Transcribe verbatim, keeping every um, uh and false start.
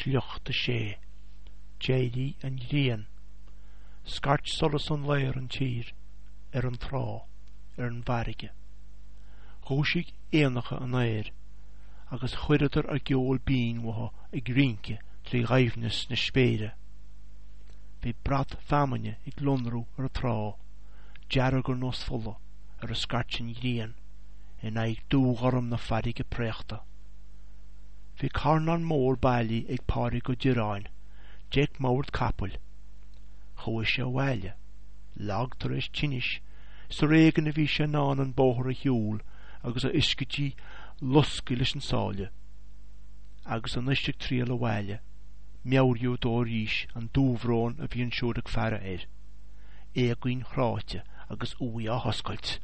Sliocht a sé. D'éirigh an ghrian. Scairt solas an lae ar an tír, ar an trá, ar an bhfarraige. Dhúisigh éanacha an aeir agus chuireadar a gceol binn uathu ag rince trí dhoimhneas na spéire. Bhí brat feamainne ag lonrú ar an trá, dearg ar nós fola ar a scairt an ghrian, in aghaidh dúghorm na farraige préachta. Bhí carnán mór bailí ag Pádraig Ó Direáin, deic mbord capaill. Chuaigh sé abhaile, lag tar éis tinnis, is ar éigean a bhí sé in ann an bóthar a shiúl agus a ioscaidí losctha leis an sáile. Agus anois ag triall abhaile, meabhraíodh dó arís an dúbhrón a bhí ansiúd ag faire air, éagaoin chráite agus uaigh á hoscailt.